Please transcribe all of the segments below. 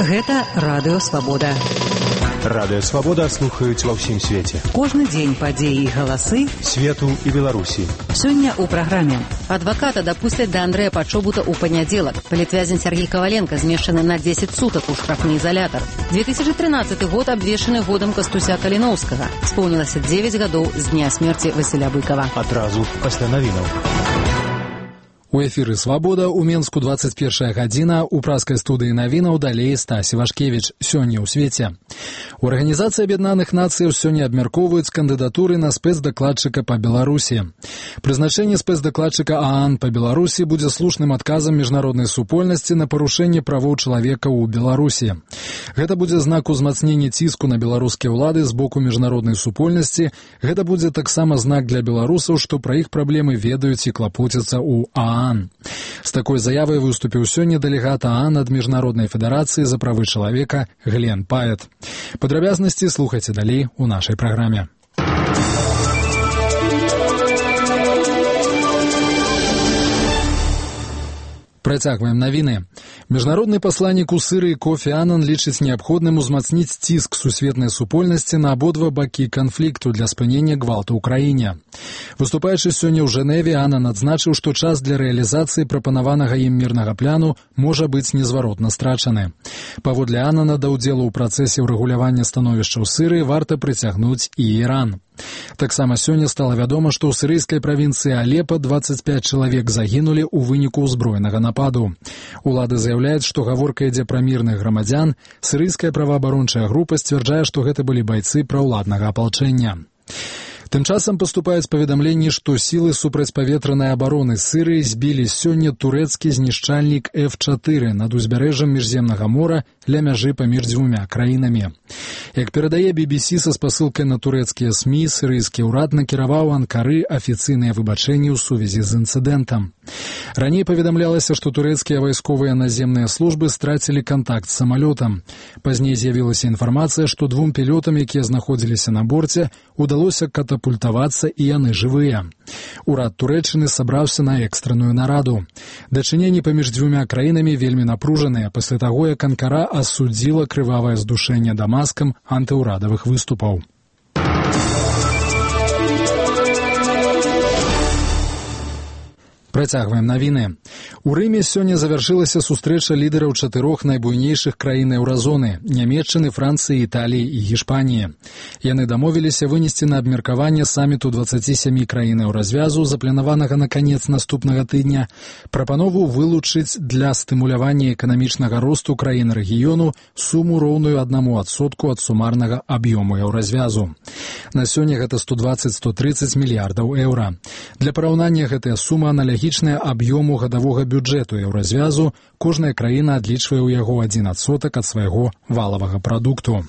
Гэта Радыё Свабода. Радыё Свабода слухаюць ва ўсім свеце. Кожны дзень падзеі і галасы свету і Беларусі. Сёння ў праграме. Адваката дапусцяць да Андрэя Падчобута ў панядзелак. Палітвязень Сергей Коваленко змешчаны на 10 сутак у штрафны изолятор. 2013 год абвешчаны годам Кастуся Каліноўскага. Споўнілася 9 гадоў з дня смерці Васіля Быкова. Адразу пасля навінаў. У эфіры «Свабода» у Менску 21 гадзіна, у праскай студыі навінаў далей Стась Івашкевіч. Сёння ў свеце. У Арганізацыі Аб'яднаных Нацыяў сёння абмяркоўваюць кандыдатуры на спецдакладчыка па Беларусі. Прызначэнне спецдакладчыка ААН па Беларусі будзе слушным адказам міжнароднай супольнасці на парушэнне правоў чалавека ў Беларусі. Гэта будзе знак узмацнення ціску на беларускія ўлады з боку міжнароднай супольнасці. Гэта будзе таксама знак для беларусаў, што пра іх праблемы ведаюць і клапоцяцца ў ААН. З такой заявай выступіў сёння дэлегат ААН ад Міжнароднай федэрацыі за правы чалавека Глен Паэт. Падрабязнасці слухайце далей у нашай праграме. Працягваем навіны. Міжнародны пасланнік у Сырыі Кофі Аннан лічыць неабходным узмацніць ціск сусветнай супольнасці на абодва бакі канфлікту для спынення гвалту ў краіне. Выступаючы сёння ў Жэневе, Аннан адзначыў, што час для рэалізацыі прапанаванага ім мірнага пляну можа быць незваротна страчаны. Паводле Аннана да ўдзелу ў працэсе ўрэгулявання становішча ў Сырыі варта прыцягнуць і Іран. Таксама сёння стала вядома, што ў сірыйскай правінцыі Алепа 25 чалавек загінулі ў выніку ўзброенага нападу. Улады заяўляюць, што гаворка ідзе пра мірных грамадзян. Сірыйская праваабарончая група сцвярджае, што гэта былі байцы праўладнага апалчэння. Тым часам паступаюць паведамленні, што сілы супрацьпаветранай абароны Сырыі збілі сёння турэцкі знішчальнік F-4 над узбярэжжам Міжземнага мора ля мяжы паміж дзвюмя краінамі. Як перадае BBC са спасылкай на турэцкія СМІ, сірыйскі ўрад накіраваў Анкары афіцыйныя выбачэнні ў сувязі з інцыдэнтам. Раней паведамлялася, што турэцкія вайсковыя наземныя службы страцілі кантакт з самалётам. Пазней з'явілася інфармацыя, што двум пілётам, якія знаходзіліся на борце, удалося катапультавацца і яны жывыя. Урад Турэччыны сабраўся на экстранную нараду. Дачыненні паміж дзвюмя краінамі вельмі напружаныя пасля таго, як Анкара асудзіла крывавае здушэнне Дамаскам антыўрадавых выступаў. Працягваем навіны. У Рыме сёння завяршылася сустрэча лідараў 4 найбуйнейшых краін еўразоны – Нямецчыны, Францыі, Італіі і Гішпаніі. Яны дамовіліся вынесці на абмеркаванне саміту 27 краін еўразвязу, запланаванага на канец наступнага тыдня, прапанову вылучыць для стымулявання эканамічнага росту краін рэгіёну суму роўную 1% ад сумарнага аб'ёму еўразвязу. На сёння гэта 120-130 мільярдаў еўра. Для параўнання гэтая сума аналагічная аб'ёму гадавога бюджэту еўразвязу, кожная краіна адлічвае ў яго 1% ад свайго валавага прадукту.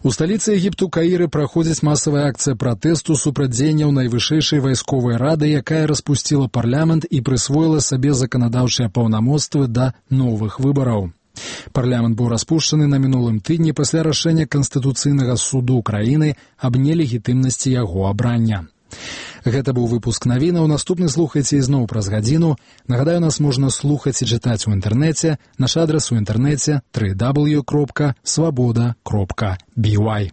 У сталіцы Егіпту Каіры праходзіць масавая акцыя пратэсту супраць дзеянняў найвышэйшай вайсковай рады, якая распусціла парламент і прысвоіла сабе заканадаўчыя паўнамоцтвы да новых выбараў. Парламент быў распушчаны на мінулым тыдні пасля рашэння Канстытуцыйнага суду краіны аб нелегітымнасці яго абрання. Гэта быў выпуск навінаў. Наступны слухайце ізноў праз гадзіну. Нагадаю, нас можна слухаць і чытаць у інтэрнэце. Наш адрас у інтэрнэце www.swaboda.by.